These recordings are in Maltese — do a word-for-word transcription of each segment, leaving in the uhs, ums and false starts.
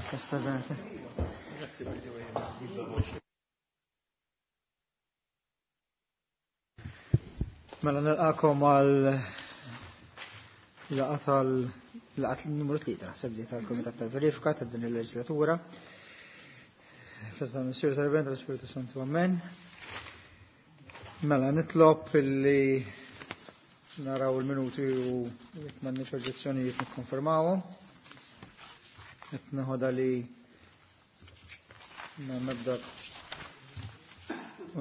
Festa żgħar. Mela nilqakom għal laqgħa tal laqgħa numru tlieta naħseb li tal-Kumitat tal-Verifika ta' din il-leġislatura. Festa Missier tal-Bent tal-Spiritu Santu Amen. Mela nitlob illi naraw il-minuti u jekk m'għandniex oġġezzjonijiet nikkonfermawhom. Qed neħodha li m'hemm ebda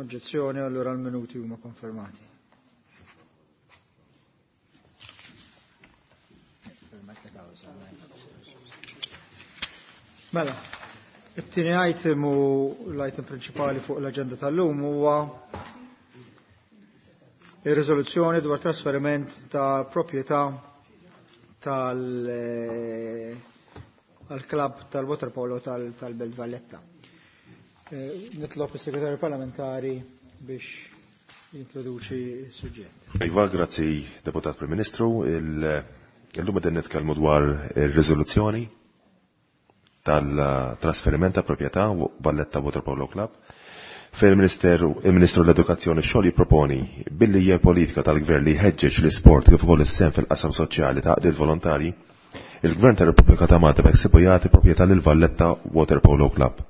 oġġezzjoni allura l-minuti huma konfermati. Mela, it-tieni item u l-item prinċipali fuq l-aġenda tal-lum huwa ir-riżoluzzjoni dwar trasferiment ta' proprjetà tal għal-klabb tal-waterpolo tal-Belt Valletta. Nitlob is-Segretarju Parlamentari biex jintroduċi s-suġġett. Iva, grazzi Deputat Prim Ministru. Illum qegħdin nitkellmu dwar ir-riżoluzzjoni tal-trasferiment ta' proprjetà Valletta Waterpolo Club fejn il-Ministeru il-Ministru l-Edukazzjoni xogħol jipproponi billi hija politika tal-Gvern li jħeġġeġ l-isport kif ukoll is-sehem fil-qasam soċjali ta' għaqdiet volontarji, il-Gvern tar-Repubblika ta' Malta beħsiebu jagħti proprjetà lil Valletta Waterpolo Club.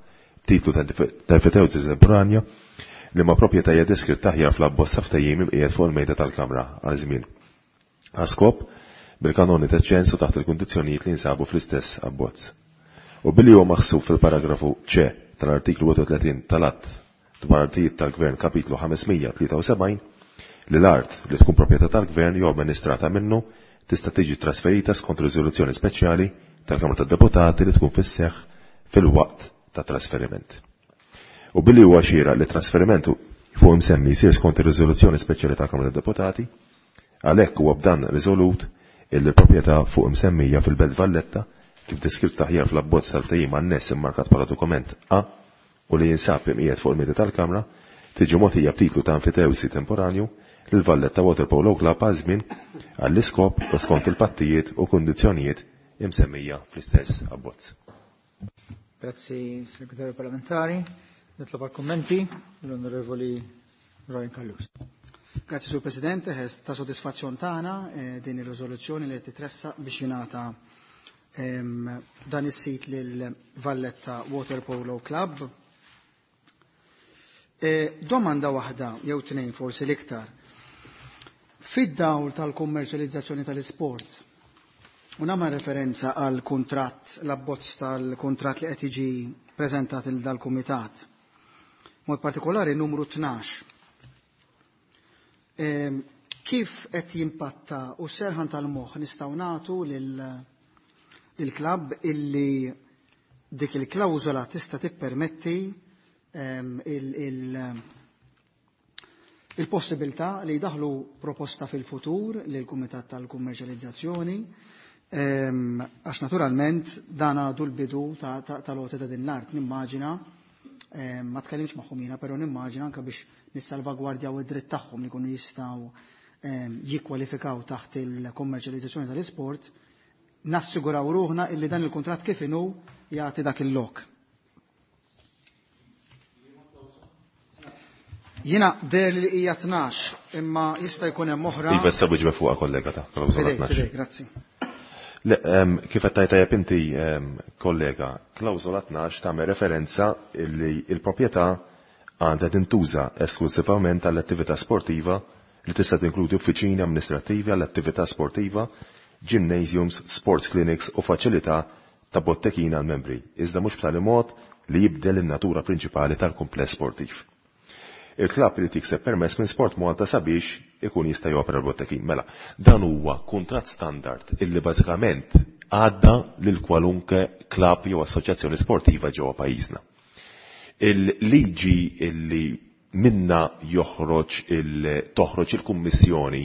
Titlu ta' enfitewsi temporanja li ma' proprjetà hija deskritta aħjar fl-abbozz ftehim imqiegħed fuq il-mejda tal-Kamra għal żmien. Għaskop bil-kanoni ta' ċensu taħt il-kundizzjonijiet li jinsabu fl-istess abbozz. U billi huwa maħsub fil-paragrafu C tal-artiklu wieħed u tletin tal-Att dwar artijiet tal-Gvern kapitlu ħames mija tlieta u sebgħin li l-art li tkun proprjetà tal-Gvern jew amministrata minnu tista' tiġi trasferita skont riżoluzzjoni speċjali tal-Kamra tad-Deputati li tkun fis-seħħ fil-waqt ta' trasferiment. U billi huwa xieraq li trasferiment fuq imsemmi jsir skont ir-riżoluzzjoni speċjali tal-Kamra tad-Deputati, għalhekk huwa b'dan riżolut illi l-proprjetà fuq imsemmija fil-Belt Valletta kif deskritta aħjar fl-abbozz tal-ftehim anness immarkat bħala dokument A u li jinsab imqiegħed fuq il-mejda tal-Kamra tiġi mogħtija b'titlu ta' enfitewsi temporanju lil Valletta Waterpolo Club għal żmien għall-iskop u skont il-pattijiet u kundizzjonijiet imsemmija fl-istess abbozz. Grazzi, Segretarju Parlamentari. Nitlob għal kummenti l-Onorevoli Ryan Callus. Grazzi, Sur Presidente, ta' soddisfazzjon tagħna din ir-riżoluzzjoni li titressaq biex jingħata dan is-sit lil Valletta Waterpolo Club. Domanda waħda jew tnejn forsi l-iktar. Fid-dawl tal-kummerċjalizzazzjoni tal-isport, u nagħmel referenza għal kuntratt, l-abbozz tal-kuntratt li qed jiġi preżentat il dal-kumitat. Mod partikolari numru tnax. Kif qed jimpatta u serħan tal-moħħ nistgħu nagħtu lil il-klabb illi dik il-klawżola tista' tippermetti il-possibilità li jdaħlu proposta fil-futur lil kumitat tal-kummerċjalizzazzjoni, għax naturalment dan għadu l-bidu tal-għoti ta' din l-art. Nimmaġina, ma tkellimx magħhom jiena, però nimmaġina anke biex nissalvagwardjaw id-dritt tagħhom li jkunu jistgħu jikkwalifikaw taħt il-kummerċjalizzazzjoni tal-isport, nassiguraw ruħna illi dan il-kuntratt kif inhu jagħti dak il-lok. Jiena der li hija tnax, imma jista' jkun hemm oħra. Iva, issa wieġba fuqha kollega ta' klawżola Fidejk, tnax. fidejk, grazzi. Le, kif qed tgħid tajjeb inti, kollega, klawżola tnax tagħmel referenza li l-proprjetà għandha tintuża esklusivament għall-attività sportiva li tista' tinkludi uffiċini amministrattivi għall-attività sportiva, gymnasiums, sports clinics u faċilità ta' bottekina għal membri, iżda mhux b'tali mod li jibdel in-natura prinċipali tal-kumpless sportiv. Il-klabb irid jikseb permess minn Sport Malta sabiex ikun jista' jopera l-bottekin. Mela, dan huwa kuntratt standard illi bażikament għadda lil kwalunke klabb jew assoċjazzjoni sportiva ġewwa pajjiżna. Il-liġi illi minna joħroġ il-, toħroġ il-Kummissjoni,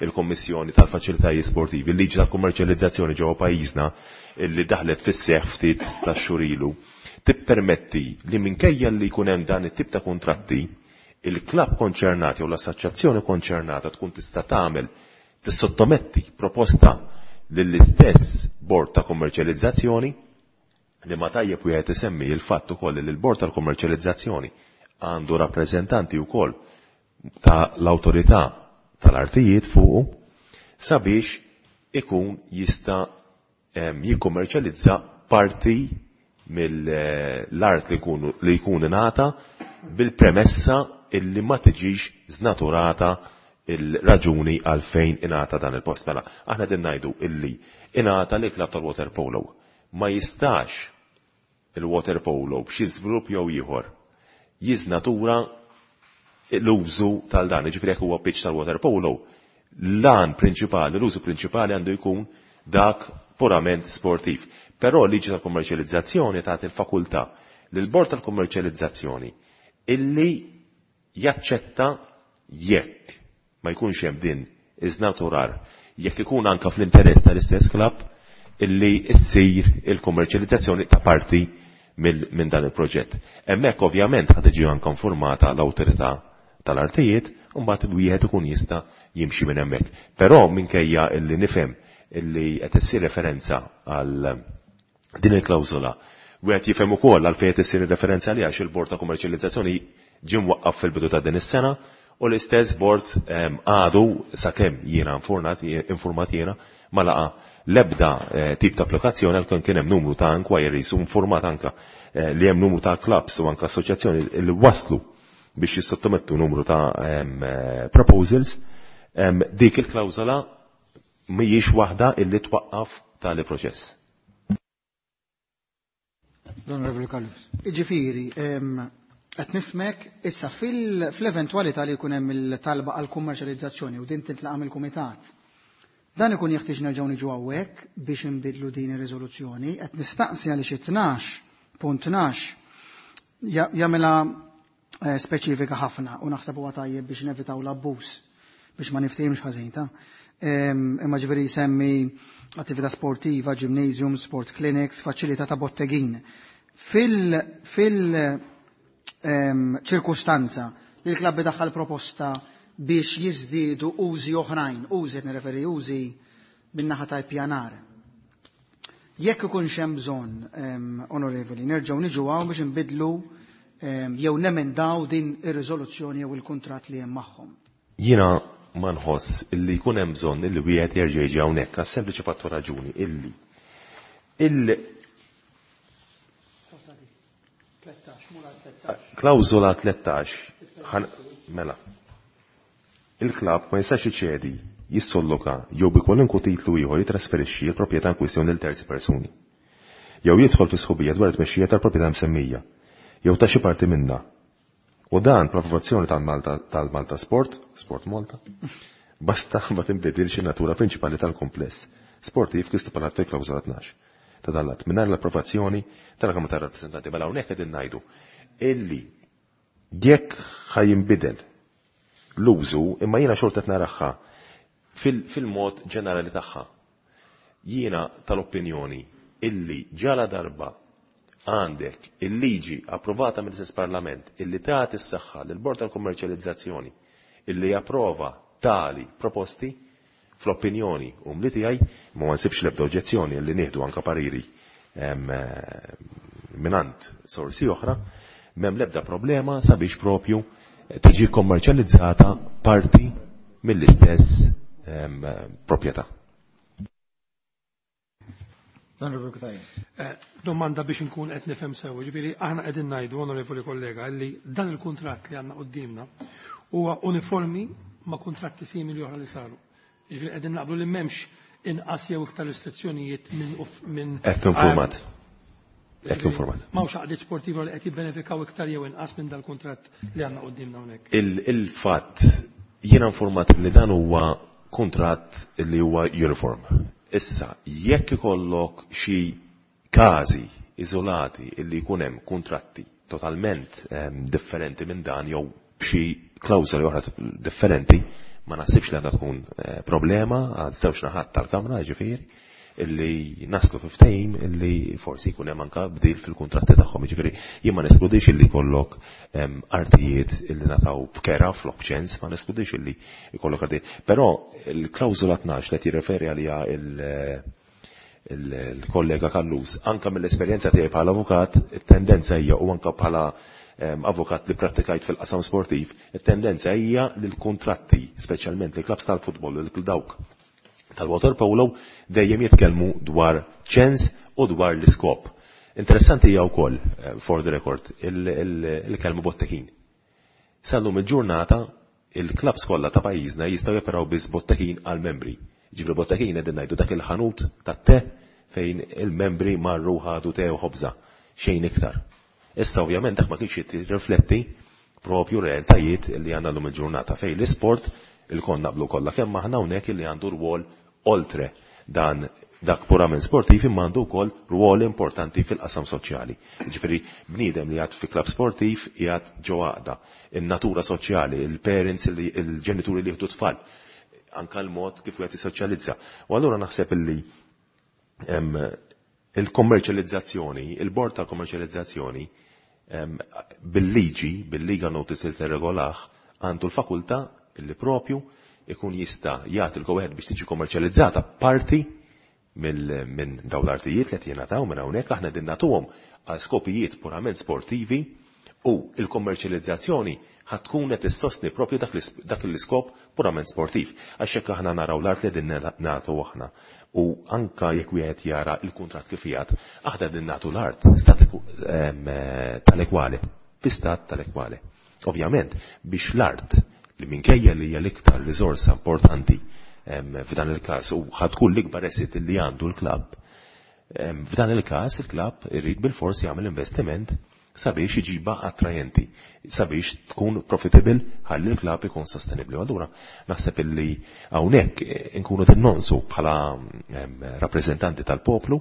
il-Kommissjoni tal-Faċilitajiet Sportivi, il-liġi tal-kummerċjalizzazzjoni ġewwa pajjiżna illi daħlet fis-seħħ ftit tax-xhur ilu, tippermetti li minkejja li jkun hemm dan it-tip ta' kuntratti, il-klabb konċernat jew l-assoċjazzjoni konċernata tkun tista' tagħmel tissottometti proposta lill-istess bord ta' kummerċjalizzazzjoni Li ma tajjeb wieħed isemmi il-fatt ukoll li l-Bord tal-Kummerċjalizzazzjoni għandu rappreżentanti wkoll ta' l-awtorità tal-artijiet fuqu sabiex ikun jista' jikkummerċjalizza parti mill-art li jkun li jkun ingħata bil-premessa illi ma tiġix żnaturata il-raġuni għalfejn ingħata dan il-post. Mela, aħna din ngħidu illi ingħata li klabb tal-water polo. Ma jistax il-water polo b'xi żvilupp jew ieħor jiżnatura l-użu tal-dan, ġifieri jekk huwa pitch tal-water polo, l-għan prinċipali, l-użu prinċipali għandu jkun dak purament sportiv. Però liġi tal-kummerċjalizzazzjoni tagħti il-fakultà lill-bord tal-kummerċjalizzazzjoni illi jaċċetta jekk ma jkunx hemm din iżnaturar, jekk ikun anka fl-interess tal-istess klabb illi ssir il-kummerċjalizzazzjoni ta' parti minn dan il-proġett. Hemmhekk ovvjament ħad tiġi anke informata l-awtorità tal-artijiet u mbagħad wieħed ikun jista' jimxi minn hemmhekk. Però minkejja illi nifhem illi qed issir referenza għal din il-klawżola, wieħed jifhem ukoll għalfejn qed issir referenza għaliha għax il-Bord ta' Kummerċjalizzazzjoni ġie mwaqqaf fil-bidu ta' din is-sena u l-istess bord għadu sakemm jiena informat jiena ma laqa l-ebda tip ta' applikazzjoni għal kien hemm numru ta' inquiries u informat anka li hemm numru ta' clubs u anka assoċjazzjoni li waslu biex jissottomettu numru ta' proposals, dik il-klawżola mhijiex waħda illi twaqqaf tali proċess. L-Onorevoli Callus. Ġifieri, qed nifhmek issa fl-eventwalità li jkun hemm il-talba għal kummerċjalizzazzjoni u din tintlaqa' mill-kumitat. Dan ikun jeħtieġ nerġgħu niġu hawnhekk biex inbidlu din ir-riżoluzzjoni, qed nistaqsi għaliex tnax punt tnax jagħmilha speċifika ħafna u naħseb huwa tajjeb biex nevitaw l-abbuż biex ma niftehimx ħażin ta' imma ġifieri jsemmi attività sportiva, gymnasium, sport clinics, faċilità ta' bottegin. Fil fil ċirkustanza li l-klabb daħħal proposta biex jiżdiedu użi oħrajn, użi qed nirreferi użi min-naħa ta' pjanar. Jekk ikun hemm bżonn, onorevoli, nerġgħu niġu hawn biex nbidlu jew nemendaw din ir-riżoluzzjoni jew il-kuntratt li hemm magħhom. Jiena ma nħoss illi jkun hemm bżonn illi wieħed jerġa' jiġi hawnhekk għas sempliċi fattu raġuni illi il klawżola tlettax mela il-klabb ma jistax iċedi, jissolloka jew bi kwalunkwe titlu ieħor jitrasferixxi l-proprjetà in kwistjoni lil terzi persuni. Jew jidħol fi sħubija dwar it-tmexxija tal-proprjetà msemmija, jew ta' xi parti minnha. U dan bl-approvazzjoni tal-Malta tal-Malta Sport, Sport Malta, basta ma tinbidilx in-natura prinċipali tal-kompless sportiv kif stipulat fil-klawżola tnax ta' dan l-att mingħajr l-approvazzjoni tal-Kamra tar-Rappreżentanti. Mela hawnhekk qegħdin ngħidu illi jekk ħajinbidel l-użu, imma jiena xorta qed naraħħa fil-mod ġenerali tagħha. Jiena tal-opinjoni illi ġala darba għandek il-liġi approvata mill-istess Parlament illi tagħti s-saħħa lill-Bord tal-Kummerċjalizzazzjoni illi japprova tali proposti, fl-opinjoni umli tiegħi ma nsibx l-ebda oġġezzjoni illi nieħdu anka pariri minant sorsi oħra, m'hemm l-ebda problema sabiex propju tiġi kommerċjalizzata parti mill-istess proprjetà. Domanda biex nkun qed nifhem sew, ġifieri aħna qegħdin ngħidu, onorevoli kollega, li dan il-kuntratt li għandna qudiemna huwa uniformi ma' kuntratti simili oħra li saru. Ġifieri qegħdin naqblu li m'hemmx inqas jew iktar restrizzjonijiet minn minn Hekk informat. Hekk informat. M'hawnx għaqdiet sportiva li qed jibbenefikaw iktar jew inqas minn dal-kuntratt li għandna qudiemna hawnhekk. Il-fatt jiena informat li dan huwa kuntratt li huwa uniform. Issa, jekk ikollok xi każi iżolati illi jkun hemm kuntratti totalment differenti minn dan jew b'xi klawżoli oħra differenti, ma naħsibx li għandha tkun problema għal żewġ naħat tal-Kamra, ġifieri, illi naslu fi ftehim illi forsi jkun hemm anke bdil fil-kuntratti tagħhom. Jiġifieri jien ma neskludix illi jkollok artijiet illi nataw b'kera flok ċens, ma neskludix illi jkollok artijiet. Però il-klawżola tnax li qed jirreferi għaliha il-kollega Callus, anka mill-esperjenza tiegħi bħala avukat, it-tendenza hija u anka bħala avukat li prattikajt fil-qasam sportiv, it-tendenza hija li l-kuntratti, speċjalment li klabs tal-futbol u dawk tal-water polo, dejjem jitkellmu dwar ċens u dwar l-iskop. Interessanti hija wkoll, for the record, il-kelma bottekin. Sal-lum il-ġurnata, il-klabs kollha ta' pajjiżna jistgħu joperaw biss bottekin għal-membri. Ġifri bottekin qegħdin ngħidu dak il-ħanut tat-te fejn il-membri marru ħadu te u ħobża, xejn iktar. Issa ovvjament dak ma kienx jirrifletti propju realtajiet li għandna llum il-ġurnata fejn l-isport il-kon naqblu kollha kemm aħna hawnhekk li għandu rwol oltre dan dak purament sportiv imma għandu wkoll rwol importanti fil-qasam soċjali. Ġifieri bniedem li jgħad fi klabb sportiv jgħad ġo għaqda, in-natura soċjali, il-parents, il-ġenituri li jieħdu tfal, anka l-mod kif wieħed jissoċjalizza. U allura naħseb illi il-kommerċjalizzazzjoni, il-bord tal-kommerċjalizzazzjoni bil-liġi, bil-legal notice li tirregolah, għandu l-fakultà illi propju ikun jista' jagħti l-go-ahead biex tiġi kommerċjalizzata parti minn dawn l-artijiet li qed jingħataw minn hawnhekk aħna din nagħtuhom għal skopijiet purament sportivi u il-kommerċjalizzazzjoni ħad tkun qed issostni propju dak l-iskop purament sportiv. Għax hekk aħna naraw l-art li din nagħtu aħna u anka jekk wieħed jara l-kuntratt kif qiegħed, aħna din nagħtu l-art tal-ekwale, fi stat tal-ekwale. Ovvjament biex l-art li minkejja li hija l-iktar riżorsa importanti f'dan il-każ u ħadkun l-ikbar asset li għandu l-klabb, f'dan il-każ il-klabb irid bil-fors jagħmel investiment sabiex iġiba attrajenti, sabiex tkun profitable ħalli l-klabb ikun sostenibli. Allura naħseb illi hawnhekk inkunu tinnonsu bħala rappreżentanti tal-poplu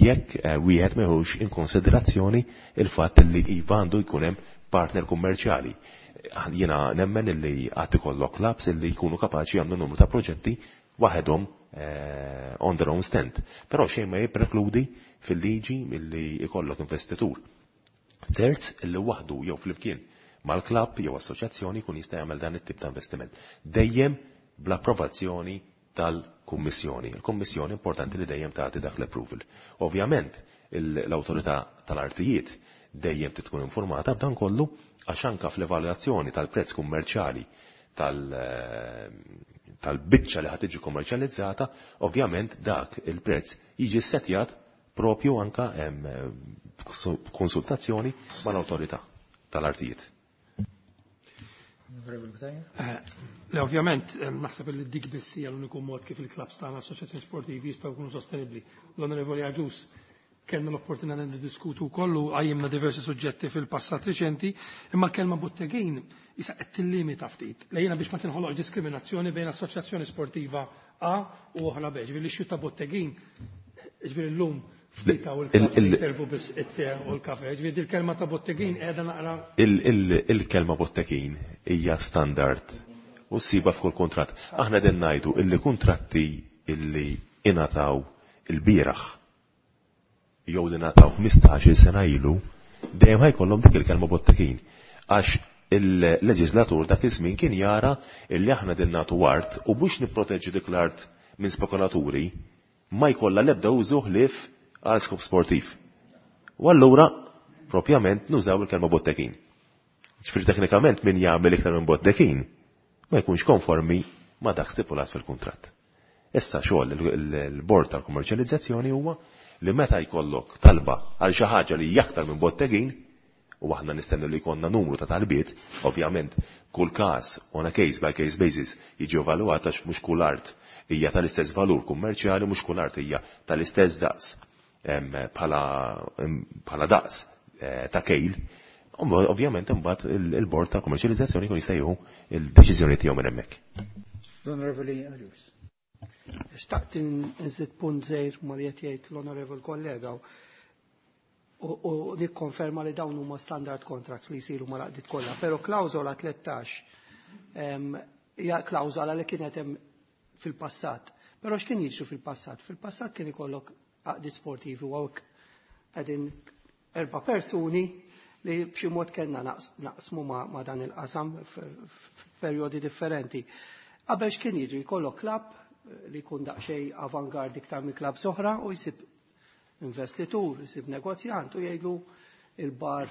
jekk wieħed meħux in konsiderazzjoni il-fatt li iva għandu jkun hemm partner kummerċjali. Jiena nemmen illi għad ikollok clubs illi jkunu kapaċi jagħmlu numru ta' proġetti waħedhom on their own stand. Però xejn ma jipprekludi fil-liġi illi jkollok investitur terz illi waħdu jew flimkien mal-klabb jew assoċjazzjoni jkun jista' jagħmel dan it-tip ta' investiment. Dejjem bl-approvazzjoni tal-Kummissjoni. Il-Kummissjoni importanti li dejjem tagħti dak l-approval. Ovvjament l-awtorità tal-artijiet dejjem tkun informata b'dan kollu għax anka fl-evalwazzjoni tal-prezz kummerċjali tal-biċċa li ħad tiġi kummerċjalizzata, ovvjament dak il-prezz jiġi ssetjat propju anka konsultazzjoni mal-awtorità tal-artijiet. Le, ovvjament, naħseb li dik biss hija l-uniku mod kif il-klabs tagħna assoċjazzjoni sportivi jistgħu jkunu sostenibbli. L-Onorevoli Agius kellna l-opportunità niddiskutu wkoll u qajjimna diversi suġġetti fil-passat riċenti, imma l-kelma bottegin issa qed tillimita ftit. Lejna biex ma tinħoloq diskriminazzjoni bejn assoċjazzjoni sportiva A u oħra B. Ġifieri l-issue ta' bottegin, ġifieri llum ftit hawn il-klabb li jservu biss it-te u l-kafe. Ġifieri dil-kelma ta' bottegin qiegħda naqra. Il-kelma bottegin hija standard u ssiba f'kull kuntratt. Aħna din ngħidu illi kuntratti illi ingħataw il-bieraħ jew li ngħataw ħmistax-il sena ilu, dejjem ħajkollhom dik il-kelma bottekin. Għax il-leġislatur dak iż-żmien kien jara illi aħna din nagħtu art u biex nipproteġġu dik l-art minn spekulaturi ma jkollha l-ebda użu ħlief għal skop sportiv. U allura propjament nużaw il-kelma bottekin. Ġifieri teknikament min jagħmel iktar minn bottekin ma jkunx konformi ma dak stipulat fil-kuntratt. Issa xogħol il-bord tal-kummerċjalizzazzjoni huwa li meta jkollok talba għal xi ħaġa li hija aktar minn bottegin, u aħna nistennu li jkollna numru ta' talbiet, ovvjament kull każ on a case by case basis jiġi evalwat għax mhux kull art hija tal-istess valur kummerċjali, mhux kull art hija tal-istess daqs bħala daqs ta' kejl. Ovvjament imbagħad il-bord ta' kummerċjalizzazzjoni jkun jista' jieħu il-deċiżjoni tiegħu minn hemmhekk. L-Onorevoli Agius. Xtaqt nżid punt żgħir ma li qed jgħid l-onorevol kollega u nikkonferma li dawn huma standard contracts li jsiru mal-għaqdiet kollha, però klawżola tlettax hija klawżola li kienet hemm fil-passat. Però x'kien jiġri fil-passat? Fil-passat kien ikollok għaqdiet sportivi u hawnhekk qegħdin erba' persuni li b'xi mod kellna naqsmu ma' dan il-qasam f'perjodi differenti. Qabel x'kien jiġri? Jkollok klabb li jkun daqsxejn avangard iktar minn klabb oħra u jsib investitur, jsib negozjant u jgħidlu il-bar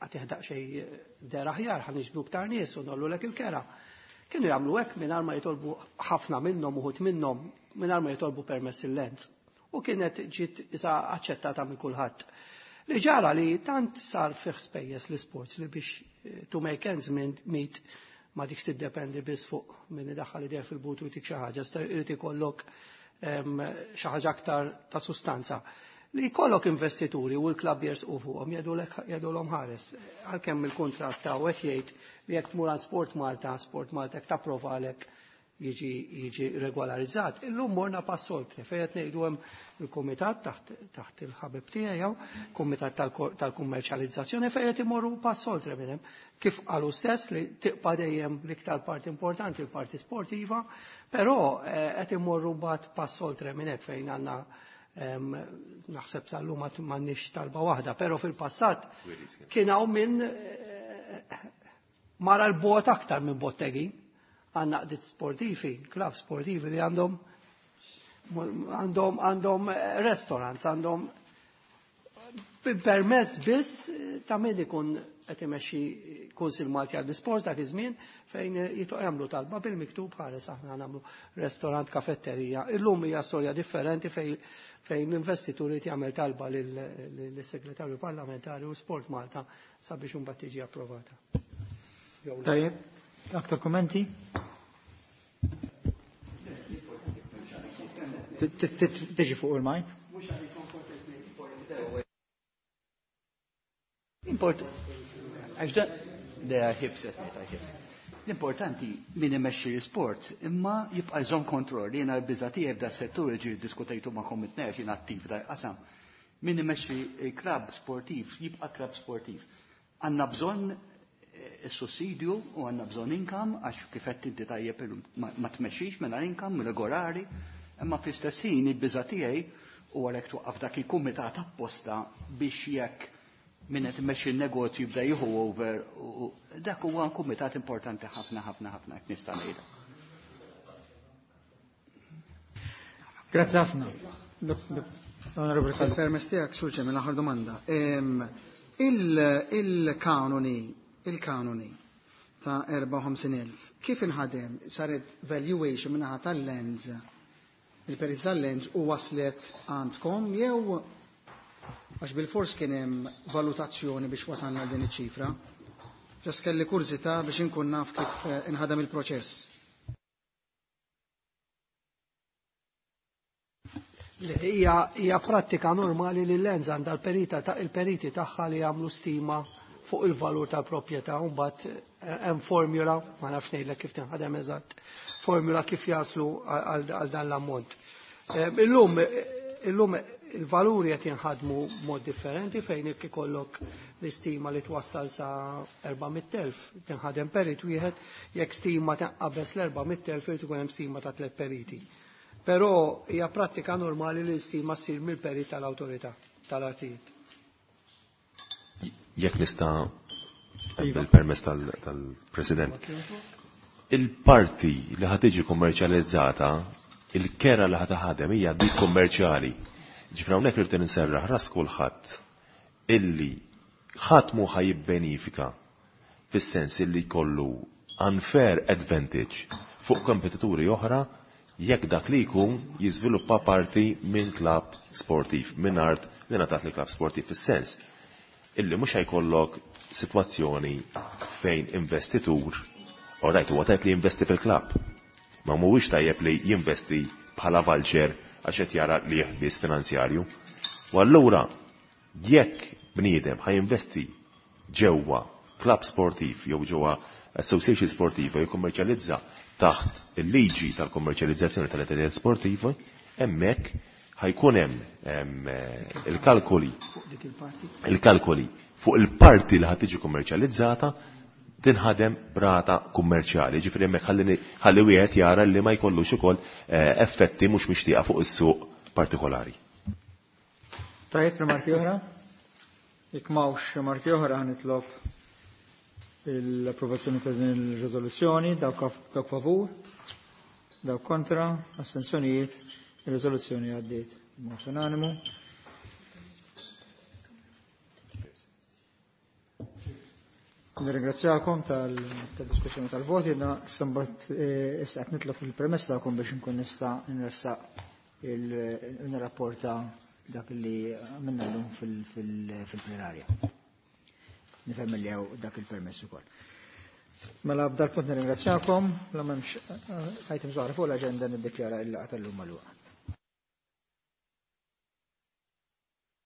għatih daqsxejn der aħjar, ħa niġbdu iktar nies u nollulek il-kera. Kienu jagħmlu hekk mingħajr ma jitolbu ħafna minnhom, uħud minnhom mingħajr ma jitolbu permess il-Lands. U kienet ġiet isa aċċettata minn kulħadd. Li ġara li tant sar fih spejjeż l-isports li biex to make ends meet ma dikx tiddependi biss fuq min idaħħal idejh fil-but u jtik xi ħaġa, irid ikollok xi ħaġa aktar ta' sustanza. Li jkollok investituri u l-klabb jersqu fuqhom jgħidulhom ħares. Għalkemm il-kuntratt ta' qed jgħid li jekk tmur għand Sport Malta, Sport Malta jekk tapprovalek jiġi jiġi regolarizzat. Illum morna pass oltre fejn qed ngħidu hemm il-kumitat taħt taħt il-ħabib tiegħi jew kumitat tal-kummerċjalizzazzjoni fejn qed imorru pass oltre minn hemm. Kif qalu stess li tibqa' dejjem l-iktar parti importanti l-parti sportiva, però qed imorru mbagħad pass oltre minn hekk fejn għandna naħseb sal-lum m'għandniex talba waħda, però fil-passat kien hawn min mara l-bot aktar minn bottegi. Għandna għaqdiet sportivi, klab sportivi li għandhom għandhom għandhom restaurants, għandhom permess biss ta' min ikun qed imexxi Kunsill Malti għall-Isport dak iż-żmien fejn jituq jagħmlu talba bil-miktub ħares aħna nagħmlu restaurant, kafetterija. Illum hija storja differenti fejn fejn l-investitur irid jagħmel talba lis-segretarju parlamentari u Sport Malta sabiex imbagħad tiġi approvata. Tajjeb, aktar kummenti? Tiġi fuq il-mic. Import, għax da, da ħibset meta ħibset. L-importanti min imexxi l-sport imma jibqa' jżomm kontroll. Jiena l-biża' tiegħi f'da settur ġi diskutejtu ma' it-tnejn jien attiv da qasam. Min imexxi klabb sportiv jibqa' klabb sportiv. Għandna bżonn is-sussidju u għandna bżonn income għax kif qed inti tajjeb ma tmexxix mingħajr income regolari, imma fl-istess ħin il-biża' tiegħi u għalhekk twaqqaf dak il-kumitat apposta biex jekk min qed imexxi n-negozju jibda jieħu over, dak huwa kumitat importanti ħafna ħafna ħafna jekk nista' ngħidha. Grazzi ħafna. Permess tiegħek, Sur Ġemil, l-aħħar domanda. Il-kanoni, il-kanoni ta' erbgħa u ħamsin elf, kif inħadem? Saret valuation minnaħa tal-Lands, il-perit tal-Lands u waslet għandkom jew għax bil-fors kien hemm valutazzjoni biex wasalna din iċ-ċifra? Just kelli kurżità biex inkun naf kif inħadem il-proċess. Hija hija prattika normali li l-Lands għandha l-perita ta' il-periti tagħha li jagħmlu stima fuq il-valur tal-proprjetà u mbagħad hemm formula, ma nafx ngħidlek kif tinħadem eżatt, formula kif jaslu għal dan l-ammont. Illum illum il-valuri qed jinħadmu mod differenti fejn jekk ikollok l-istima li twassal sa erba' mitt elf tinħadem perit wieħed, jekk stima tinqabeż l-erba' mitt elf irid ikun hemm stima ta' tliet periti. Però hija prattika normali li l-istima ssir mill-perit tal-awtorità tal-artijiet. Jekk nista' bil-permess tal-President. Il-parti li ħa tiġi kummerċjalizzata, il-kera li ħa taħdem hija dik kummerċjali. Ġifra hawnhekk irid inserraħ ras kulħadd illi ħadd mhu ħa jibbenifika fis-sens illi jkollu unfair advantage fuq kompetituri oħra jekk dak li jkun jiżviluppa parti minn klabb sportiv, minn art li ngħatat li klabb sportiv, fis-sens illi mhux ħajkollok sitwazzjoni fejn investitur, alright, huwa tajjeb li jinvesti fil-klabb, ma mhuwiex tajjeb li jinvesti bħala vulture għax qed jara li jeħbis finanzjarju. U allura jekk bniedem ħa jinvesti ġewwa klabb sportiv jew ġewwa association sportiva jew kummerċjalizza taħt il-liġi tal-kommerċjalizzazzjoni tal-entitajiet sportivi, hemmhekk ħajkun hemm il-kalkoli il-kalkoli fuq il-parti li ħad tiġi kummerċjalizzata tinħadem b'rata kummerċjali. Ġifieri hemmhekk ħalli wieħed jara li ma jkollux ukoll effetti mhux mixtieqa fuq is-suq partikolari. Tajjeb, rimarki oħra? Jekk m'hawnx rimarki oħra, nitlob l-approvazzjoni ta' din il-riżoluzzjoni. Dawk favur? Dawk kontra, astensjonijiet, ir-riżoluzzjoni għaddiet b'mod unanimu. Nirringrazzjakom tal-diskussjoni tal-voti, na sambat issa qed nitlob il-premess tagħkom biex inkun nista' nressaq il-rapporta dak li għamilna llum fil-plenarja. Nifhem li hawn dak il-permess ukoll. Mela b'dal punt nirringrazzjakom, la m'hemmx items oħra fuq l-aġenda niddikjara il-laqgħa tal-lum magħluqa.